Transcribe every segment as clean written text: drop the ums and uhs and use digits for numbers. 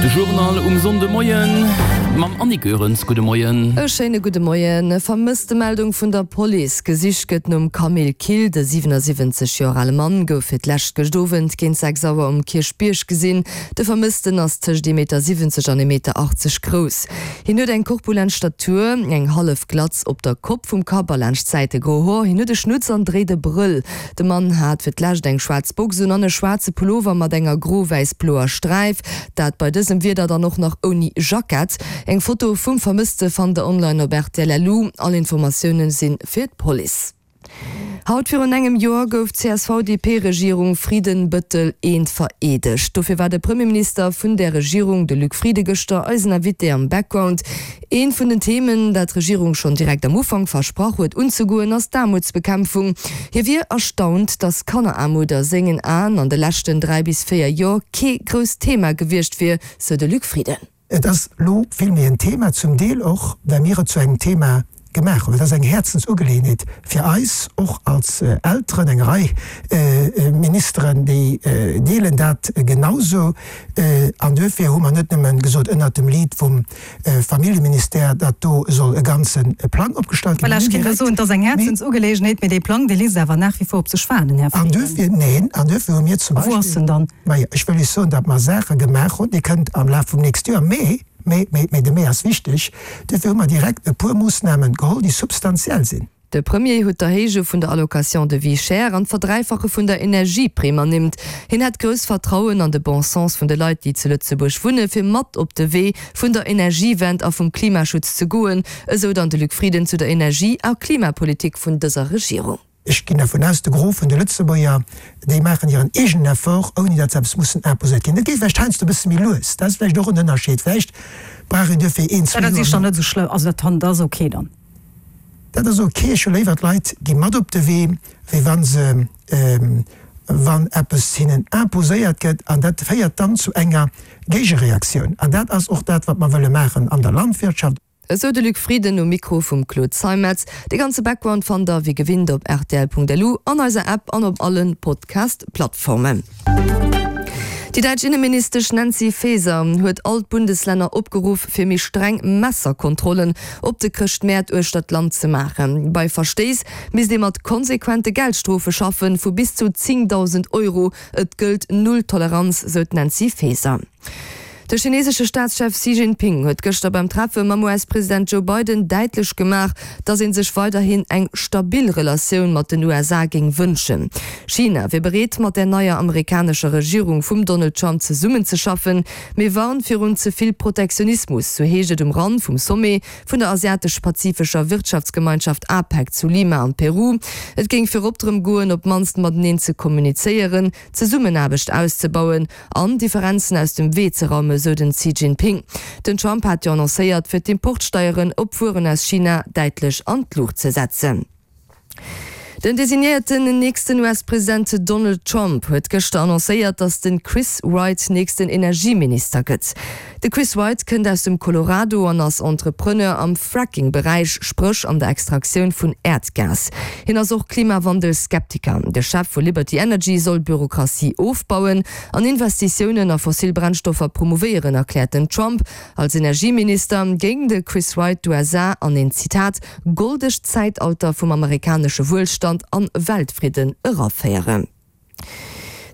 De Journal um Sonndemoien mam Annick Goerens. Gudde Moien. E schéine gudde Moien. Vermësstemeldung vun der Police, Gesicht gëtt nom Camille Kill. De 77 Joer ale Mann gouf fir d'lescht gëscht Owend géint 6 Auer um Kierchbierg gesinn. De Vermëssten ass tëscht ee Meter 70 an ee Meter 80 grouss. Hien huet eng korpulent Statur, eng hallef Glatz op der Kopp vum Kapp a laanscht d'Säite gro Hoer. Hien huet e Schnutz an dréit e Brëll. De Mann hat fir d'lescht eng schwaarz Box un an e schwaarze Pullover mat enger gro-wäiss-bloer Sträif. Dat bei dësem Wieder dann och nach ouni Jackett. Eng Foto vum Vermësste fannt der online op rtl.lu. All Informatioune si fir d'Police. Haut virun engem Joer gouf d'CSV-DP-Regierung Frieden-Bëttel I vereedegt. Dofir war de Premierminister vun där Regierung, de Luc Frieden, gëschter eisen Invité am Background. Eent vun den Themen, dat d'Regierung schonn direkt am Ufank versprach huet unzegoen, ass d'Aarmutsbekämpfung. Hie wier erstaunt, datt Kanneraarmut a sengen Aen an de leschten 3 bis 4 Joer kee grousst Thema gewiescht wier, sou de Luc Frieden. Et ass elo vill méi en Thema, zum Deel och, well mir et zu engem Thema gemaach hunn. Et ass eng Häerzensugeleeënheet fir eis, och als Elteren. Eng Rei Ministeren, déi deelen dat genausou. An duerfir hu mer net nëmme gesot, ënnert dem Lead vum Familljeministère, datt do soll e ganze Plang opgestallt ginn. Voilà, ech kéint elo soen, et ass eng Häerzensugeleegenheet, mee dee Plang, dee léisst awer nach wie vor op sech waarden, Här An Frieden. duerfir, neen, an duerfir hu mir zum A wou ass Beispill, en dann? majo, ech wëll Iech soen, datt mer Saache gemaach hunn, déi kënnt am Laf vum nächste Joer, mee, mee, mee, mee, de Mee ass wichteg, duerfir hu mer direkt e puer Moossnamen geholl, déi substantiell sinn. De Premier huet d'Erhéije vun der Allocation de vie chère an d'Verdräifache vun der Energieprimm ernimmt. Hien hätt grousst Vertrauen an de Bon sens vun de Leit, déi zu Lëtzebuerg wunne fir mat op de Wee vun der Energiewend a vum Klimaschutz ze goen, esou dann de Luc Frieden zu der Energie a Klimapolitik vun dëser Regierung. Ech ginn dervun aus, de Gros vun de Lëtzebuerger, déi maachen hiren eegenen Effort, ouni datt se eppes mussen imposéiert kréien. Dat geet vläicht heiansdo e bësse méi lues, dat ass vläicht och en Ënnerscheed. Vläicht brauch een duerfir een, zwee Dat Joer ass dann méi. net esou schlëmm, also dat ass ok dann. Dat ass ok. Ech hu léiwer, d'Leit gi mat op de Wee, wéi wa se, wann eppes hinnen imposéiert gëtt. An dat féiert dann zu enger Géigereaktioun. An dat ass och dat, wat mer wëlle maachen an der Landwirtschaft. Esou de Luc Frieden um Mikro vum Claude Zeimetz. De ganze Background fannt der wéi gewinnt op rtl.lu, an eiser App an op allen Podcast-Plattformen. Déi däitsch Inneministesch Nancy Faeser huet all d'Bundeslänner opgeruff, fir méi streng Messerkontrollen op de Chrëschtmäert uechter d'Land ze maachen. Bei Verstéiss misst ee mat konsequente Geldstrofe schaffen, vu bis zu 10.000 Euro. Et gëllt Null Toleranz, sou d'Nancy Faeser. De chinesesche Staatschef Xi Jinping huet gëschter beim Treffe mam US-President Joe Biden däitlech gemaach, datt ee sech weiderhin eng stabil Relatioun mat den USA géing wënschen. China wier bereet, mat der neier amerikanescher Regierung vum Donald Trump zesummenzeschaffen, mee warnt virun ze vill Protektionismus, sou heescht et um Rand vum Sommet vun der Asiatesch-Pazifescher Wirtschaftsgemeinschaft APEC zu Lima am Peru. Et géing virop drëm goen, op d'mannst mateneen ze kommunizéieren, d'Zesummenaarbecht auszebauen an Differenzen aus dem Wee ze raumen, sou den Xi Jinping. Den Trump hat jo annoncéiert, fir d'Importsteieren op Wueren aus China däitlech an d'Luucht ze setzen. Den designéierten nächsten US-President Donald Trump huet gëschter annoncéiert, datt de Chris Wright nächsten Energieminister gëtt. De Chris Wright kënnt aus dem Colorado an ass Entrepreneur am Fracking-Beräich, spréch an der Extraktioun vun Äerdgas. Hien ass och Klimawandel-Skeptiker. De Chef vu Liberty Energy soll Bürokratie ofbauen an Investitiounen a fossil Brennstoffer promouvéieren, erkläert den Trump. Als Energieminister géing de Chris Wright d'USA an een, Zitat, goldegt Zäitalter vum amerikanesche Wuelstand an Weltfridden eraféieren.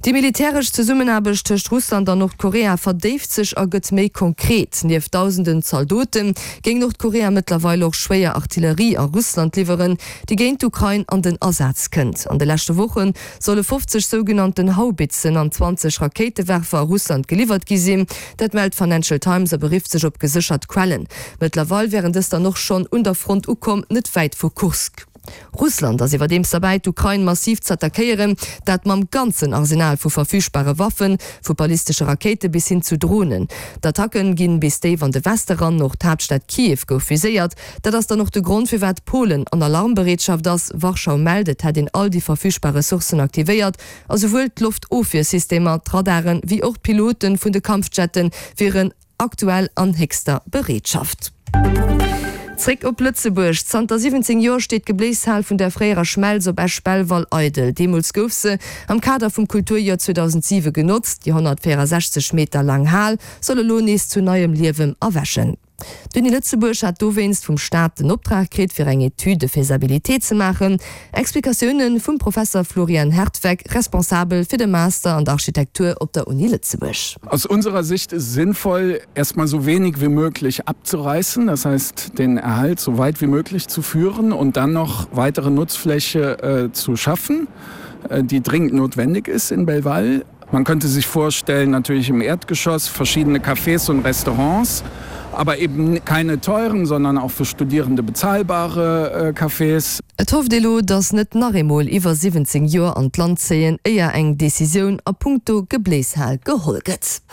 Déi militäresch Zesummenaarbecht tëscht Russland an Nordkorea verdéift sech a gëtt méi konkret. Nieft dausenden Zaldote géing Nordkorea mëttlerweil och schwéier Artillerie a Russland liwweren, déi géint d'Ukrain an den Asaz kënnt. An de leschte Woche solle 50 sougenannten Haubitzen an 20 Rakéitewerfer a Russland geliwwert gi sinn. Dat mellt d'Financial Times a berifft sech op geséchert Quellen. Mëttlerweil wären dës dann och schonn un der Front ukomm, net wäit vu Kursk. Russland ass iwwerdeems derbäi, d'Ukrain massiv z'attackéieren, dat mam ganzen Arsenal vu verfügbare Waffen, vu ballistesche Rakéite bis hin zu Dronen. D'Attacken ginn bis déif an de Weste ran, och d'Haaptstad Kiew gouf viséiert. Dat ass dann och de Grond, firwat Polen an Alarmbereetschaft ass. Warschau mellt, et hätt een all déi verfügbar Ressourcen aktivéiert a souwuel d'Loftofwiersystemer, d'Radaren, wéi och d'Pilote vun de Kampfjette wieren Aktuell an héchster Bereetschaft. Zréck op Lëtzebuerg. Zanter 17 Joer steet d'Gebléishal vun der fréierer Schmelz op Esch-Belval eidel. Deemools gouf se am Kader vum Kulturjoer 2007 genotzt. Déi 164 Meter laang Hal soll elo nees zu neiem Liewen erwächen. D'Uni Lëtzebuerg hat dowéinst vum Staat den Optrag kritt, fir eng Étude de faisabilité ze maachen. Explikatioune vum Professer Florian Hertweck, Responsabel fir de Master an der Architektur op der Uni Lëtzebuerg. Aus unserer Sicht ist es sinnvoll, erstmal so wenig wie möglich abzureißen, das heißt den Erhalt so weit wie möglich zu führen und dann noch weitere Nutzfläche zu schaffen, die dringend notwendig ist in Belval. Man könnte sich vorstellen, natürlich im Erdgeschoss verschiedene Cafés und Restaurants, aber eben keine teuren, sondern auch für Studierende bezahlbare äh, Cafés. Et hofft ee lo, datt net nach eemol iwwer 17 Joer an d'Land zéien, éier eng Decisioun a punkto Gebléishal geholl gëtt.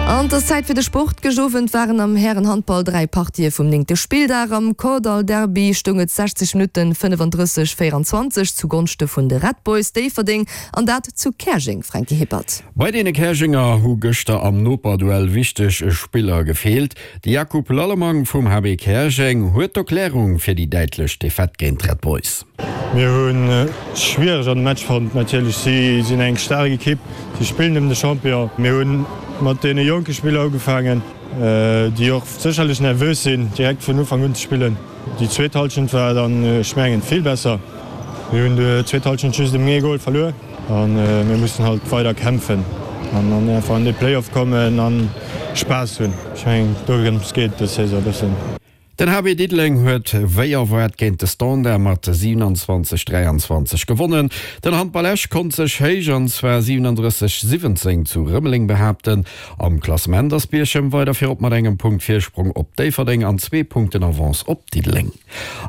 An et ass Zäit fir de Sport. Gëscht Owend waren am Härenhandball 3 Partië vum néngte Spilldag. Am Kordall Derby stoung et 60 Minutten 35, 24 zu Gonschte vun de Red Boys Déifferdeng an dat zu Käerjeng, Franky Hippert. Bei deene Käerjenger hu gëschter am Noperduell wichteg Spiller gefeelt. De Jakub Lallemang vum HB Käerjeng huet d'Erklärung fir déi däitlech Defaite géint d'Red Boys. Mir hu schwiereg an de Match fonnt. Natierlech, si sinn eng staark Ekipp, si spillen ëm de Champion. Mir hu mat deene jonke Spiller ugefaangen, déi och sécherlech nervös sinn, direkt vun Ufank un ze spillen. Déi zweet Hallschent war dann, ech mengen, vill besser. Mir hunn déi zweet Hallschent just ëm ee Gol verluer a mir mussen halt weider kämpfen an dann einfach an de Playoff kommen a Spaass hunn. Ech mengen, dorëms geet et dës Saison e bëssen. Den HB Diddeleng huet wéi erwaart géint de Standard mat 27, 23 gewonnen. Den Handball Esch konnt sech héich an zwar 37, 17 zu Rëmeleng behaapten. Am Klassement ass Bierchem weider virop mat engem Punkt Virsprong op Déifferdeng an zwee Punkten Avance op Diddeleng.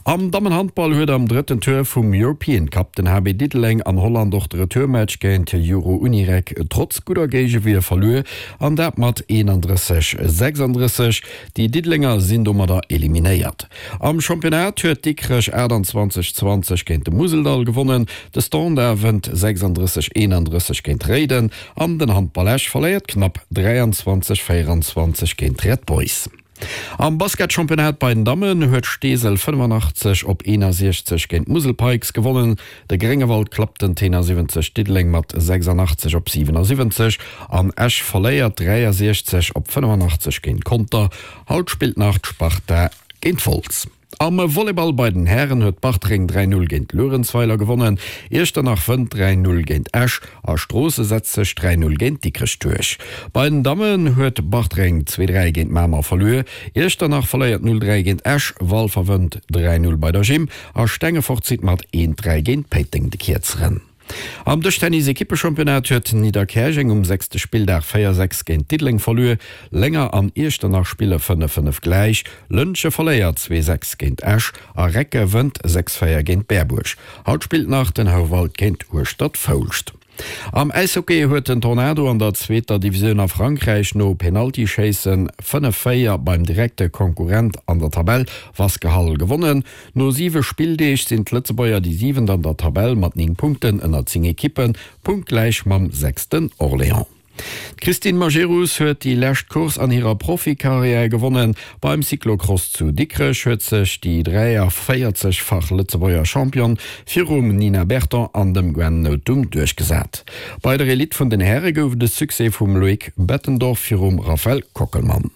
Am Dammenhandball huet am drëtten Tour vum European Cup den HB Diddeleng an Holland och de Retourmatch géint Euro Unirec trotz gudder Géigewier verluer an dat mat 31, 36. Déi Diddelenger sinn domadder eliminéiert. Am Championnat huet Dikrech 28, 20 géint de Museldall gewonnen, de Standard wënnt 36, 31 géint Réiden an den Handball Esch verléiert knapp 23, 24 géint d'Red Boys. Am Basketchampionnat bei den Dammen huet Steesel 85 op 61 géint d'Musel Pikes gewonnen. De Gréngewald klappt den Tenor 70, Diddeleng mat 86 op 77 an Esch verléiert 63 op 85 géint Conter. Haut spillt nach d'Sparta géint Wolz. Am Volleyball bei den Hären huet Bartreng 3, 0 géint Luerenzweiler gewonnen, Iechternach wënnt 3, 0 géint Esch a Stroosse setzt sech 3, 0 géint Dikrech duerch. Bei den Dammen huet Bartreng 2, 3 géint Mamer verluer, Iechternach verléiert 0, 3 géint Esch, Walfer wënnt 3, 0 bei der Gym A Stengefort zitt mat 1, 3 géint Péiteng de Kierzeren. Am Dëschtennis-Ekippechampionnat huet Nidderkäerjeng um sechste Spilldag 4, 6 géint Diddeleng verluer. Lénger an Iechternach spille 5, 5 gläich. Lëntge verléiert 2, 6 géint Esch a Recke wënnt 6, 4 géint Berbuerg. Haut spillt nach den Houwald géint Hueschtert-Foulscht. Am Äishockey huet den Tornado an der zweeter Divisioun a Frankräich no Penaltyschéissen 5, 4 beim direkte Konkurrent an der Tabell Wasquehal gewonnen. No siwe Spilldeeg sinn d'Lëtzebuerger déi Siwent an der Tabell mat 9 Punkten ënner 10 Ekippen, punktgläich mam Sechsten Orléans. D'Christine Majerus huet déi lescht Course an hirer Profikarriär gewonnen. Beim Cyclocross zu Dikrech huet sech déi 43-fach Lëtzebuerger Championne virum Nina Berton an dem Gwen Nothum duerchgesat. Bei der Elite vun den Häre gouf et e Succès vum Loïc Bettendorf virum Raphaël Kockelmann.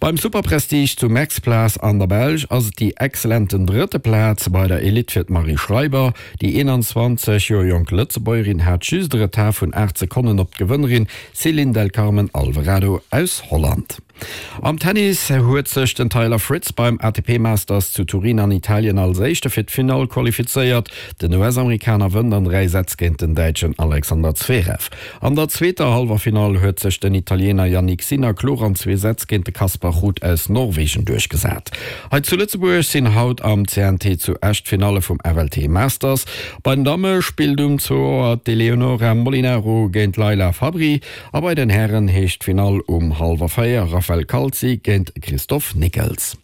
Beim Superprestige zu Mexplace an der Belsch ass et déi excellenten drëtte Plaz bei der Elite fir d'Marie Schreiber. Déi 21 Joer jonk Lëtzebuergerin hat just e Retard vun 8 Sekonnen op d'Gewënnerin Ceylin del Carmen Alvarado aus Holland. Am Tennis huet sech den Taylor Fritz beim ATP Masters zu Turin an Italien als Éischte fir d'Finall qualifizéiert. Den US-Amerikaner wënnt an 3 Sätz géint den Däitschen Alexander Zverev. An der zweeter Hallwerfinall huet sech den Italiener Jannik Sinner kloer an zwee Sätz géint de Casper Ruud aus Norwegen duerchgesat. Hei zu Lëtzebuerg sinn haut am CNT zu Esch d'Finalle vum FLT Masters. Bei den Damme spillt um zwou Auer d'Eleonora Molinaro géint d'Laila Fabri a bei den Hären heescht d'Finall um hallwer 4 Raphael Calzi géint Christophe Nickels.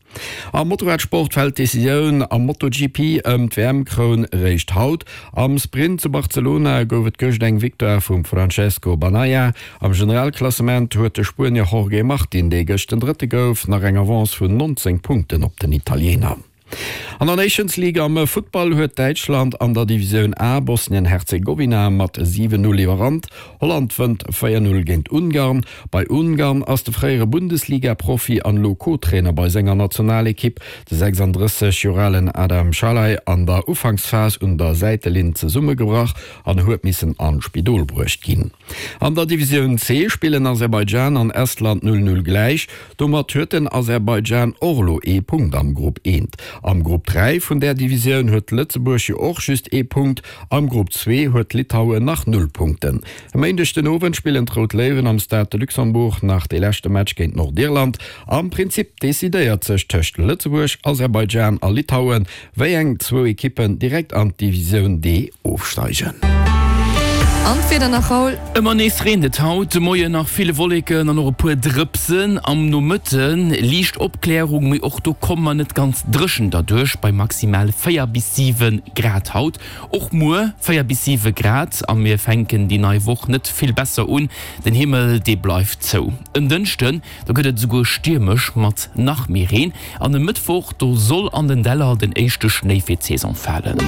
Am Motorradsport fält d'Decisioun am MotoGP ëm d'WM-Kroun réischt haut. Am Sprint zu Barcelona gouf et gëscht eng Victoire vum Francesco Bagnaia. Am Generalklassement huet de Spuenier Jorge Martin, dee gëscht den Drëtte gouf, nach eng Avance vun 19 Punkten op den Italiener. An der Nations League am Futtball huet Däitschland an der Divisioun A Bosnien-Herzegowina mat 7, 0 iwwerrannt. Holland wënnt 4, 0 géint Ungarn. Bei Ungarn ass de fréiere Bundesliga-Profi an elo Co-Trainer bei senger Nationalekipp, de 36 Joer alen Adam Szalai, an der Ufanksphas un der Säitelinn zesummegebrach an huet missen an d'Spidol bruecht ginn. An der Divisioun C spillen Aserbaidschan an Estland 0, 0 gläich. Domat huet den Aserbaidschan och elo ee Punkt am Grupp I. Am Grupp 3 vun där Divisioun huet Lëtzebuerg jo och just ee Punkt, am Grupp 2 huet Litauen nach null Punkten. E Méindeg den Owend spillen d'Rout Léiwen am Stade de Luxembourg nach dee leschte Match géint Nordirland. Am Prinzip decidéiert sech tëscht Lëtzebuerg, Aserbaidschan a Litauen, Wéi eng zwou Ekippen direkt an d'Divisioun D ofsteigen. An d'Wieder nach, Raoul? Ëmmer nees reent et haut de Moien nach, vill Wolleken an och e puer Drëpsen. Am Nomëtte liicht Opklärung, mee och do komme mer net ganz dréchen derduerch bei maximal 4 bis 7 Grad haut. Och muer 4 bis 7 Grad a mir fänken déi nei Woch net vill besser un, den Himmel dee bleift zou. En Dënschden Do gëtt et esouguer stiermesch mat nach méi Reen an e Mëttwoch, do soll an den Däller den éischte Schnéi fir d'Saison falen.